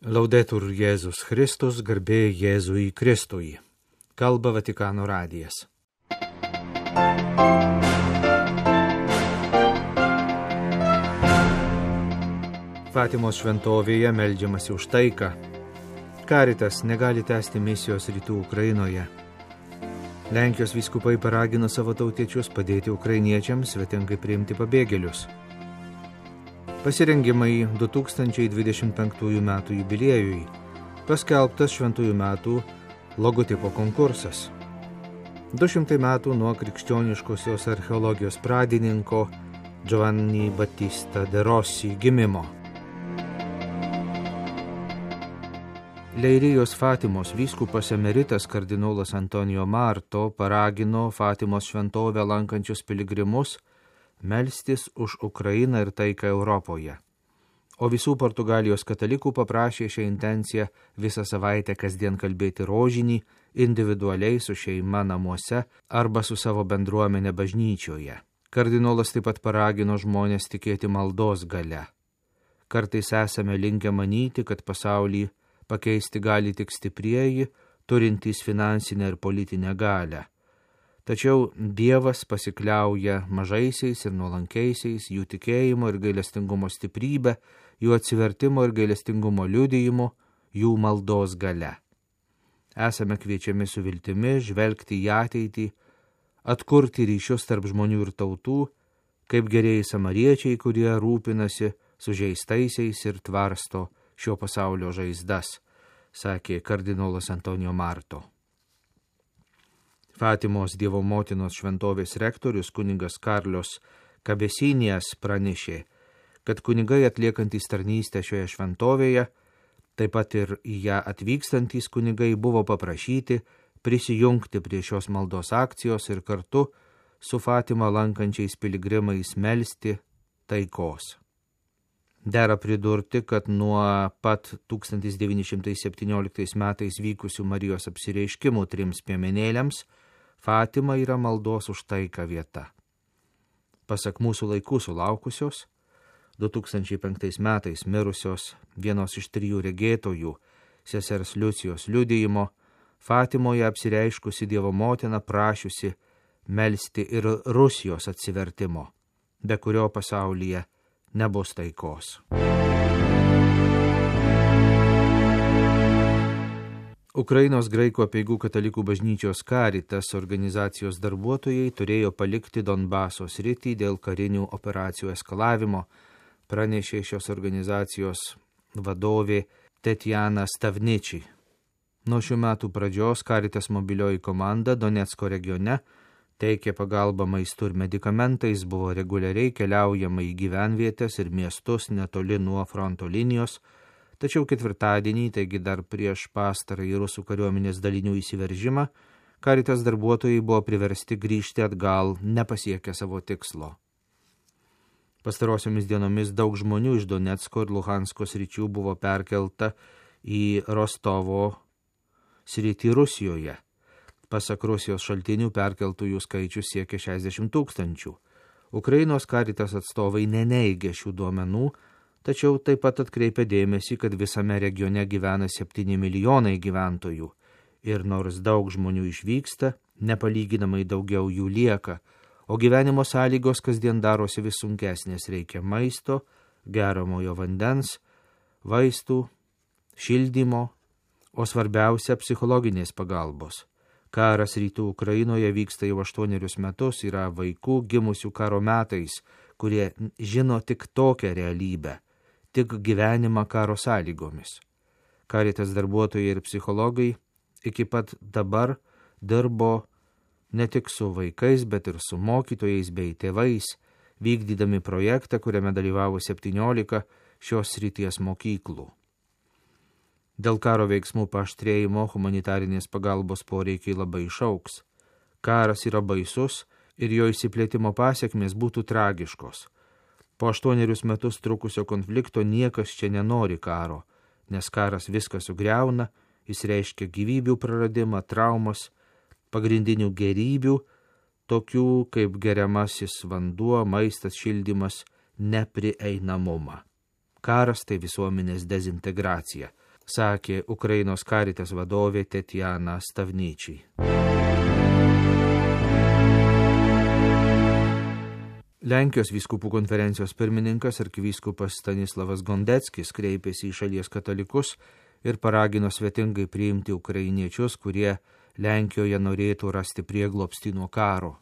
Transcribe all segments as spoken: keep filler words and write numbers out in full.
Laudetur Jėzus Kristus, garbė Jėzui Kristui. Kalba Vatikano radijas. Fatimos šventovėje meldžiamasi už taiką. Caritas negali tęsti misijos rytų Ukrainoje. Lenkijos vyskupai paragino savo tautiečius padėti ukrainiečiams svetingai priimti pabėgėlius. Pasirengimai du tūkstančiai dvidešimt penktųjų metų jubiliejui. Paskelbtas šventųjų metų logotipo konkursas. Du šimtai metų nuo krikščioniškosios archeologijos pradininko Giovanni Battista de Rossi gimimo. Leirijos Fatimos vyskupas emeritas kardinolas Antonijo Marto paragino Fatimos šventovę lankančius piligrimus melstis už Ukrainą ir taiką Europoje. O visų Portugalijos katalikų paprašė šią intenciją visą savaitę kasdien kalbėti rožinį individualiai su šeima namuose arba su savo bendruomenė bažnyčioje. Kardinolas taip pat paragino žmonės tikėti maldos galia. Kartais esame linkę manyti, kad pasaulį pakeisti gali tik stiprieji, turintys finansinę ir politinę galią. Tačiau Dievas pasikliauja mažaisiais ir nuolankiaisiais, jų tikėjimo ir gailestingumo stiprybę, jų atsivertimo ir gailestingumo liudijimu, jų maldos galia. Esame kviečiami su viltimi žvelgti į ateitį, atkurti ryšius tarp žmonių ir tautų, kaip gerieji samariečiai, kurie rūpinasi sužeistaisiais ir tvarsto šio pasaulio žaizdas, sakė kardinolas Antonijo Marto. Fatimos Dievo motinos šventovės rektorius kunigas Karlos Kabesinijas pranešė, kad kunigai atliekantys tarnystę šioje šventovėje, taip pat ir į ją atvykstantys kunigai buvo paprašyti prisijungti prie šios maldos akcijos ir kartu su Fatimą lankančiais piligrimais melsti taikos. Dera pridurti, kad nuo pat tūkstantis devyni šimtai septynioliktais metais vykusių Marijos apsireiškimų trims piemenėliams Fatima yra maldos už taiką vieta. Pasak mūsų laikų sulaukusios, du tūkstančiai penktais metais mirusios vienos iš trijų regėtojų, sesers Liucijos liudijimo, Fatimoje apsireiškusi Dievo motina prašiusi melsti ir Rusijos atsivertimo, be kurio pasaulyje nebus taikos. Ukrainos graikų apeigų katalikų bažnyčios Caritas organizacijos darbuotojai turėjo palikti Donbaso sritį dėl karinių operacijų eskalavimo, pranešė šios organizacijos vadovė Tetjana Stavničiai. Nuo šių metų pradžios Caritas mobilioji komanda Donecko regione teikė pagalbą maistu ir medikamentais, buvo reguliariai keliaujama į gyvenvietės ir miestus netoli nuo fronto linijos, tačiau ketvirtadienį, taigi dar prieš pastarąjį rusų kariuomenės dalinių įsiveržimą, Caritas darbuotojai buvo priversti grįžti atgal, nepasiekę savo tikslo. Pastarosiomis dienomis daug žmonių iš Donecko ir Luhansko sričių buvo perkelta į Rostovo sritį Rusijoje. Pasak Rusijos šaltinių perkeltųjų skaičius siekia šešiasdešimt tūkstančių. Ukrainos Caritas atstovai neneigia šių duomenų, tačiau taip pat atkreipia dėmesį, kad visame regione gyvena septyni milijonai gyventojų ir nors daug žmonių išvyksta, nepalyginamai daugiau jų lieka, o gyvenimo sąlygos kasdien darosi vis sunkesnės, reikia maisto, geriamojo vandens, vaistų, šildymo, o svarbiausia psichologinės pagalbos. Karas rytų Ukrainoje vyksta jau aštuonerius metus, yra vaikų gimusių karo metais, kurie žino tik tokią realybę, tik gyvenimą karo sąlygomis. Caritas darbuotojai ir psichologai iki pat dabar dirbo ne tik su vaikais, bet ir su mokytojais bei tėvais, vykdydami projektą, kuriame dalyvavo septyniolika šios srities mokyklų. Dėl karo veiksmų paaštrėjimo humanitarinės pagalbos poreikiai labai išauks. Karas yra baisus ir jo išsiplėtimo pasiekmės būtų tragiškos. Po aštuonerius metus trukusio konflikto niekas čia nenori karo, nes karas viską sugriauna, jis reiškia gyvybių praradimą, traumas, pagrindinių gerybių, tokių kaip geriamasis vanduo, maistas, šildymas, neprieinamumą. Karas tai visuomenės dezintegracija. sakė Ukrainos Caritas vadovė Tetjana Stavničiai. Lenkijos vyskupų konferencijos pirmininkas arkivyskupas Stanislavas Gondeckis kreipėsi į šalies katalikus ir paragino svetingai priimti ukrainiečius, kurie Lenkijoje norėtų rasti prieglobstį nuo karo.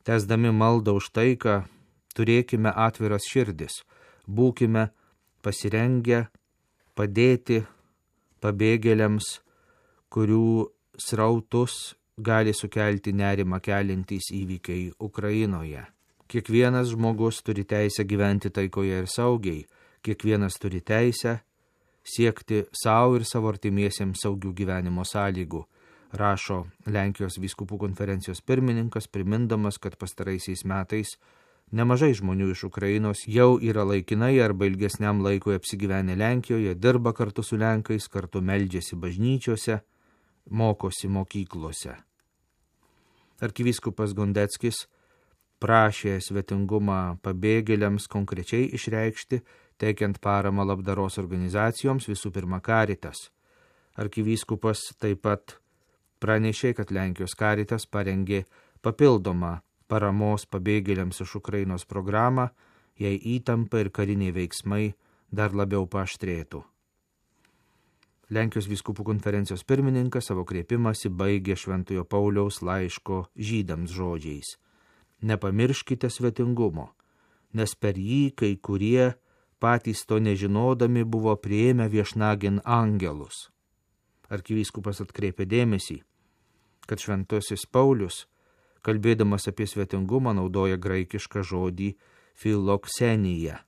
Tęsdami maldą už taiką, turėkime atviras širdis, būkime pasirengę padėti pabėgėliams, kurių srautus gali sukelti nerimą keliantys įvykiai Ukrainoje. Kiekvienas žmogus turi teisę gyventi taikoje ir saugiai, kiekvienas turi teisę siekti savo ir savo artimiesiems saugių gyvenimo sąlygų, rašo Lenkijos vyskupų konferencijos pirmininkas, primindamas, kad pastaraisiais metais nemažai žmonių iš Ukrainos jau yra laikinai arba ilgesniam laikui apsigyvenę Lenkijoje, dirba kartu su Lenkais, kartu meldžiasi bažnyčiose, mokosi mokyklose. Arkivyskupas Gondeckis prašė svetingumą pabėgėliams konkrečiai išreikšti, teikiant paramą labdaros organizacijoms, visų pirma Caritas. Arkivyskupas taip pat pranešė, kad Lenkijos Caritas parengė papildomą paramos pabėgėliams iš Ukrainos programą, jei įtampa ir kariniai veiksmai dar labiau paaštrėtų. Lenkijos vyskupų konferencijos pirmininkas savo kreipimąsi baigė Šventojo Pauliaus laiško žydams žodžiais: nepamirškite svetingumo, nes per jį kai kurie patys to nežinodami buvo priėmę viešnagin angelus. Arkivyskupas atkreipė dėmesį, kad Šventasis Paulius, kalbėdamas apie svetingumą, naudoja graikišką žodį filoksenija,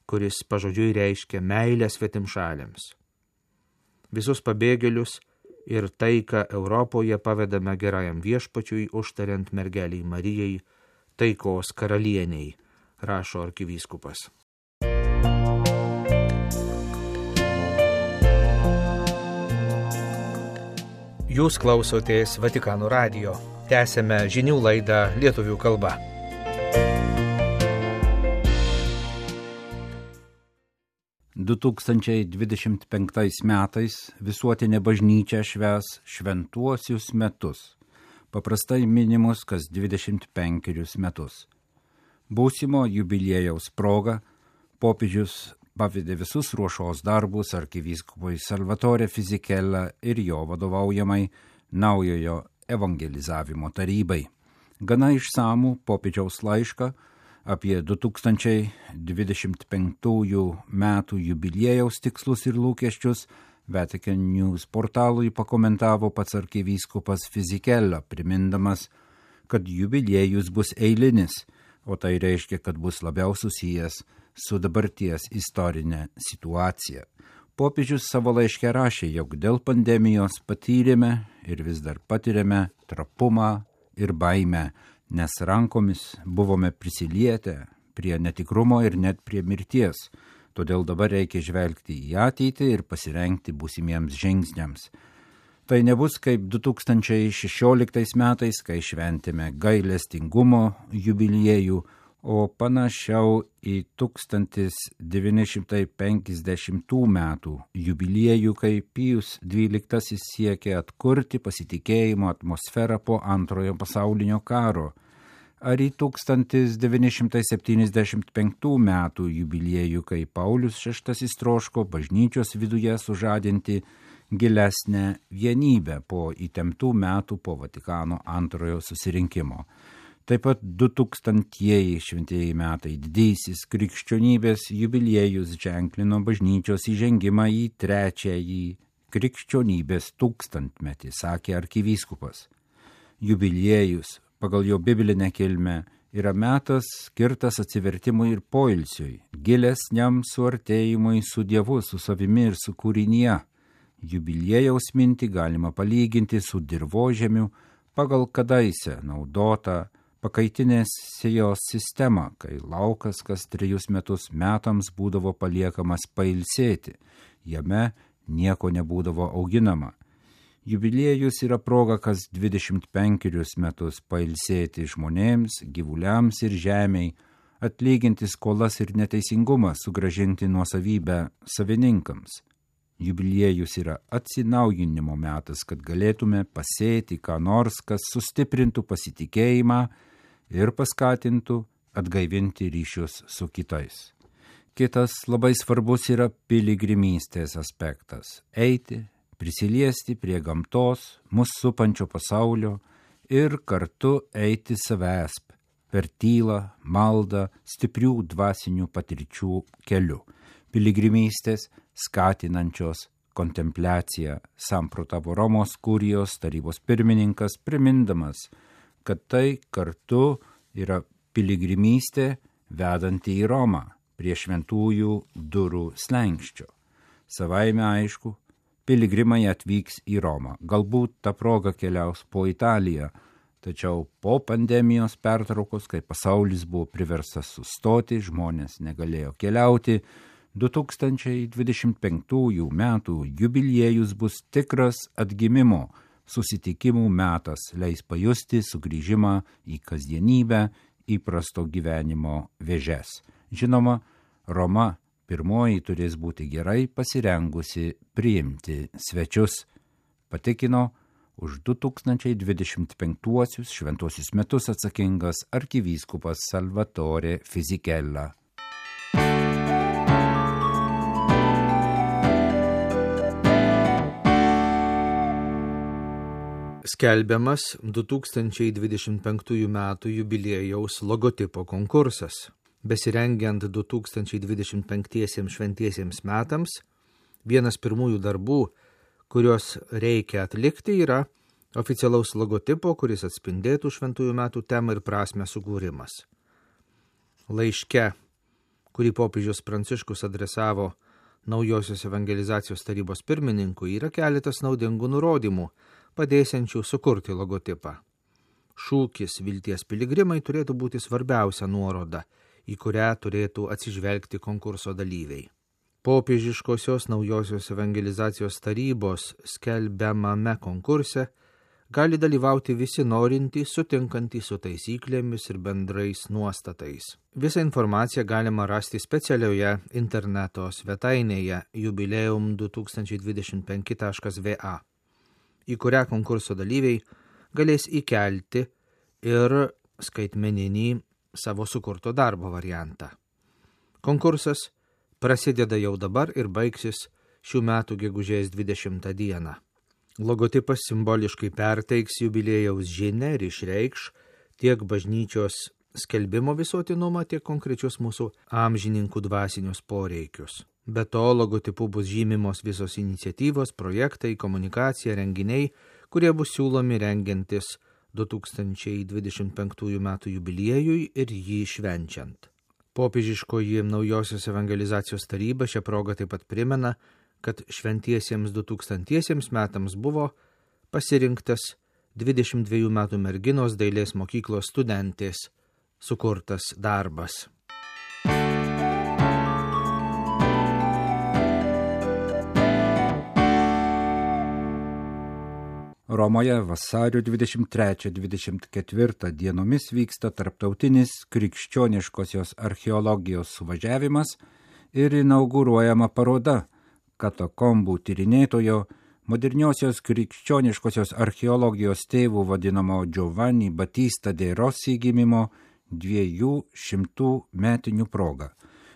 kuris pažodžiui reiškia meilę svetimšaliams. Visus pabėgėlius ir taiką Europoje pavedame gerajam viešpačiui, užtariant mergeliai Marijai, taikos karalieniai, rašo arkivyskupas. Jūs klausotės Vatikano radijo. Tęsėme žinių laidą lietuvių kalba. du tūkstančiai dvidešimt penktais metais visuotinė bažnyčia švęs šventuosius metus, paprastai minimus kas dvidešimt penkerius metus. Būsimo jubiliejaus proga popiežius pavedė visus ruošos darbus arkivyskupui Salvatore Fisichella ir jo vadovaujamai naujojo evangelizavimo tarybai. Gana išsamų popiežiaus laišką apie du tūkstančiai dvidešimt penktųjų metų jubiliejaus tikslus ir lūkesčius Vatican News portalui pakomentavo pats arkivyskupas Fisichella, primindamas, kad jubiliejus bus eilinis, o tai reiškia, kad bus labiau susijęs su dabarties istorinė situacija. Popiežius savo laiške rašė, jog dėl pandemijos patyrėme ir vis dar patiriame trapumą ir baimę, nes rankomis buvome prisilietę prie netikrumo ir net prie mirties. Todėl dabar reikia žvelgti į ateitį ir pasirengti būsimiems žingsniams. Tai nebus kaip du tūkstančiai šešioliktais metais, kai šventėme gailestingumo jubiliejų, o panašiau į tūkstantis devyni šimtai penkiasdešimtų metų jubiliejų, kai Pijus dvyliktasis siekė atkurti pasitikėjimo atmosferą po antrojo pasaulinio karo, ar į tūkstantis devyni šimtai septyniasdešimt penktų metų jubiliejų, kai Paulius šeštasis troško bažnyčios viduje sužadinti gilesnę vienybę po įtemptų metų po Vatikano antrojo susirinkimo. Taip pat du tūkstantieji šventieji metai didysis krikščionybės jubiliejus ženklino bažnyčios įžengimą į trečiąjį krikščionybės tūkstantmetį, sakė arkivyskupas. Jubiliejus pagal jo biblinę kilmę yra metas skirtas atsivertimui ir poilsiui, gilesniam suartėjimui su Dievu, su savimi ir su kūrinyje. Jubiliejaus mintį galima palyginti su dirvožemiu pagal kadaise naudotą pakaitinės sėjos sistemą, kai laukas kas trejus metus metams būdavo paliekamas pailsėti, jame nieko nebūdavo auginama. Jubiliejus yra proga kas dvidešimt penkerius metus pailsėti žmonėms, gyvuliams ir žemiai, atlyginti skolas ir neteisingumą, sugrąžinti nuosavybę savininkams. jubiliejus yra atsinaujinimo metas, kad galėtume pasėti ką nors, kas sustiprintų pasitikėjimą ir paskatintų atgaivinti ryšius su kitais. Kitas labai svarbus yra piligrimystės aspektas – eiti, prisiliesti prie gamtos, mus supančio pasaulio ir kartu eiti savęs per tylą, maldą, stiprių dvasinių patirčių keliu. Piligrimystės skatinančios kontempliaciją samprotavo Romos kurijos tarybos pirmininkas, primindamas, kad tai kartu yra piligrimystė vedanti į Romą prie šventųjų durų slenkščio. Savaime aišku, piligrimai atvyks į Romą. Galbūt ta proga keliaus po Italiją, tačiau po pandemijos pertraukos, kai pasaulis buvo priverstas sustoti, žmonės negalėjo keliauti, du tūkstančiai dvidešimt penktųjų metų jubiliejus bus tikras atgimimo susitikimų metas, leis pajusti sugrįžimą į kasdienybę, įprasto gyvenimo vėžes. Žinoma, Roma pirmoji turės būti gerai pasirengusi priimti svečius, patikino už du tūkstančiai dvidešimt penktuosius šventuosius metus atsakingas arkivyskupas Salvatore Fisichella. Skelbiamas du tūkstančiai dvidešimt penktųjų metų jubiliejaus logotipo konkursas. Besirengiant du tūkstančiai dvidešimt penktiesiems šventiesiems metams, vienas pirmųjų darbų, kuriuos reikia atlikti, yra oficialaus logotipo, kuris atspindėtų šventųjų metų temą ir prasmę sukūrimas. Laiške, kurį popiežius Pranciškus adresavo Naujosios evangelizacijos tarybos pirmininkui, yra keletas naudingų nurodymų, padėsiančių sukurti logotipą. Šūkis Vilties piligrimai turėtų būti svarbiausia nuoroda, į kurią turėtų atsižvelgti konkurso dalyviai. Popiežiškosios Naujosios evangelizacijos tarybos skelbiamame konkurse gali dalyvauti visi norintys, sutinkantys su taisyklėmis ir bendrais nuostatais. Visą informaciją galima rasti specialioje interneto svetainėje jubileum du tūkstančiai dvidešimt penki taškas v a, į kurią konkurso dalyviai galės įkelti ir skaitmeninį savo sukurto darbo variantą. Konkursas prasideda jau dabar ir baigsis šių metų gegužės dvidešimtą dieną. Logotipas simboliškai perteiks jubiliejaus žinią ir išreikš tiek bažnyčios skelbimo visuotinumą, tiek konkrečius mūsų amžininkų dvasinius poreikius. Be to, logotipu bus žymimos visos iniciatyvos, projektai, komunikacija, renginiai, kurie bus siūlomi rengiantis du tūkstančiai dvidešimt penktųjų metų jubiliejui ir jį švenčiant. Popiežiškoji Naujosios evangelizacijos taryba šią progą taip pat primena, kad šventiesiems du tūkstantiesiems metams buvo pasirinktas dvidešimt dviejų metų merginos dailės mokyklos studentės sukurtas darbas. Romoje vasario dvidešimt trečią dvidešimt ketvirtą dienomis vyksta tarptautinis krikščioniškosios archeologijos suvažiavimas ir inauguruojama paroda katakombų tyrinėtojo, moderniosios krikščioniškosios archeologijos tėvų vadinamo Giovanni Battista de Rossi gimimo dviejų šimtų metinių proga.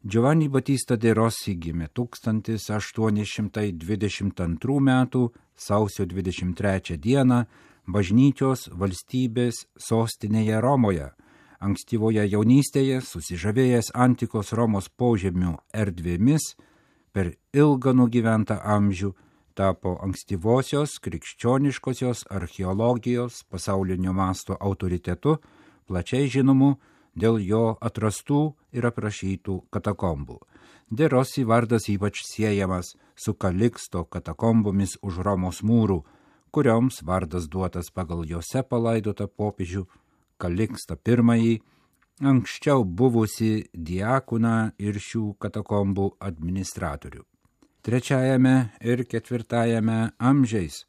Giovanni Battista de Rossi gimė tūkstantis aštuoni šimtai dvidešimt antrų metų sausio dvidešimt trečią dieną bažnyčios valstybės sostinėje Romoje. Ankstyvoje jaunystėje, susižavėjęs antikos Romos požemių erdvėmis, per ilgą nugyventą amžių tapo ankstyvosios krikščioniškosios archeologijos pasaulinio masto autoritetu, plačiai žinomu dėl jo atrastų ir aprašytų katakombų. De Rossi vardas ypač siejamas su Kaliksto katakombomis už Romos mūrų, kurioms vardas duotas pagal jose palaidotą popiežių Kalikstą pirmąjį, anksčiau buvusi diakoną ir šių katakombų administratorių. Trečiajame ir ketvirtajame amžiais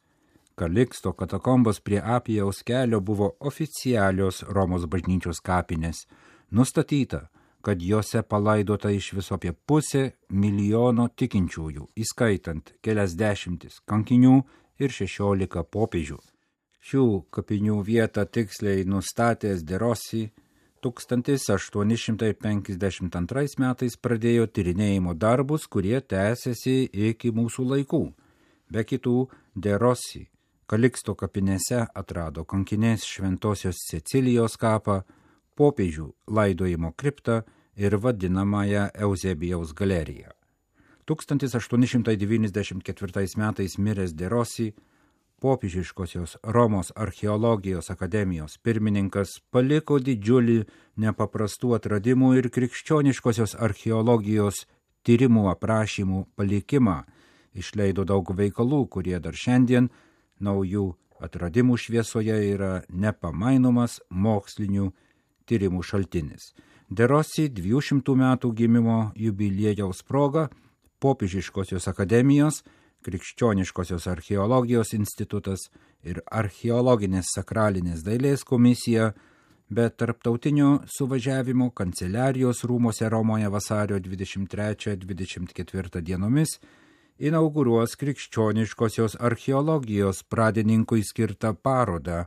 Kaliksto katakombos prie Apijaus kelio buvo oficialios Romos bažnyčios kapinės. Nustatyta, kad jose palaidota iš viso apie pusę milijono tikinčiųjų, įskaitant kelias dešimtis kankinių ir šešiolika popiežių. Šių kapinių vietą tiksliai nustatęs De Rossi tūkstantis aštuoni šimtai penkiasdešimt antrais metais pradėjo tyrinėjimo darbus, kurie tęsiasi iki mūsų laikų. Be kitų, De Rossi Kaliksto kapinėse atrado kankinės Šventosios Cecilijos kapą, popiežių laidojimo kriptą ir vadinamąją Euzebijaus galeriją. tūkstantis aštuoni šimtai devyniasdešimt ketvirtais metais miręs De Rossi, popiežiškosios Romos archeologijos akademijos pirmininkas, paliko didžiulį nepaprastų atradimų ir krikščioniškosios archeologijos tyrimų aprašymų palikimą, išleido daug veikalų, kurie dar šiandien naujų atradimų šviesoje yra nepamainomas mokslinių tyrimų šaltinis. De Rossi dviejų šimtų metų gimimo jubiliejaus proga popiežiškosios akademijos, krikščioniškosios archeologijos institutas ir archeologinės sakralinės dailės komisija, bet tarptautinio suvažiavimo kanceliarijos rūmose Romoje vasario dvidešimt trečią dvidešimt ketvirtą dienomis inauguruos krikščioniškosios archeologijos pradininkui skirtą parodą.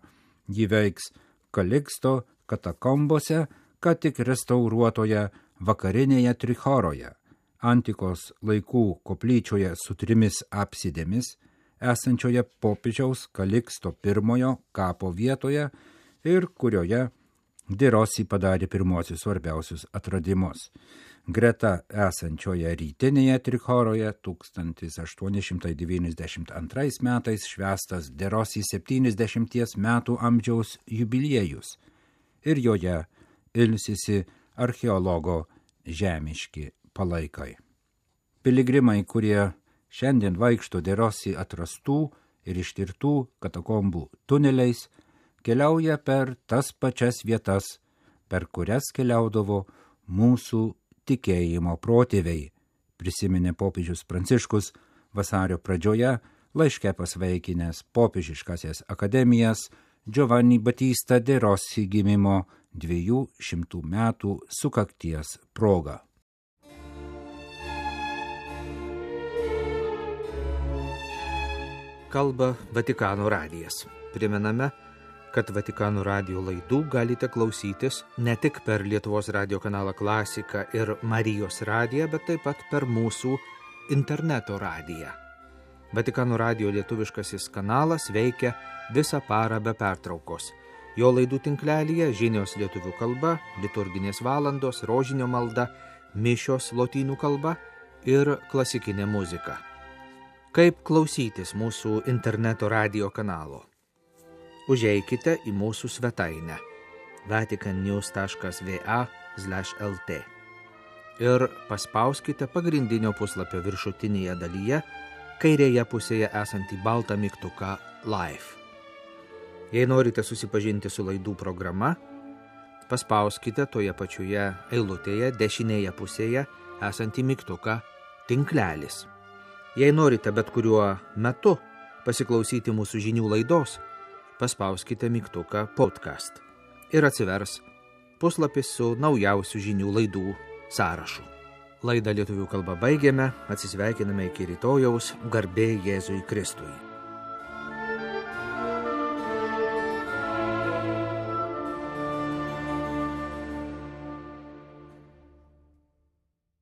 Ji veiks Kaliksto katakombose, ką tik restauruotoje vakarinėje Trichoroje, antikos laikų koplyčioje su trimis apsidėmis, esančioje popiežiaus Kaliksto pirmojo kapo vietoje ir kurioje De Rossi padarė pirmosius svarbiausius atradimus. Greta esančioje rytinėje Trichoroje tūkstantis aštuoni šimtai devyniasdešimt antrais metais švęstas De Rossi septyniasdešimties metų amžiaus jubiliejus ir joje ilsisi archeologo žemiški palaikai. Piligrimai, kurie šiandien vaikšto De Rossi atrastų ir ištirtų katakombų tuneliais, keliauja per tas pačias vietas, per kurias keliaudavo mūsų tikėjimo protėviai, prisiminė popiežius Pranciškus vasario pradžioje laiške pasveikinęs popiežiškasias akademijas Giovanni Battista De Rossi gimimo dviejų šimtų metų sukakties proga. Kalba Vatikano radijas. Primename, kad Vatikano radijo laidų galite klausytis ne tik per Lietuvos radijo kanalą Klasika ir Marijos radiją, bet taip pat per mūsų interneto radiją. Vatikano radijo lietuviškasis kanalas veikia visą parą be pertraukos. Jo laidų tinklelyje žinios lietuvių kalba, liturginės valandos, rožinio malda, mišios lotynų kalba ir klasikinė muzika. Kaip klausytis mūsų interneto radijo kanalo? Užeikite į mūsų svetainę vaticannews taškas va slash lt ir paspauskite pagrindinio puslapio viršutinėje dalyje kairėje pusėje esantį baltą mygtuką Live. Jei norite susipažinti su laidų programa, paspauskite toje pačioje eilutėje dešinėje pusėje esantį mygtuką Tinklelis. Jei norite bet kuriuo metu pasiklausyti mūsų žinių laidos, paspauskite mygtuką Podcast ir atsivers puslapis su naujausių žinių laidų sąrašu. Laidą lietuvių kalba baigėme, atsisveikiname iki rytojaus, garbė Jėzui Kristui.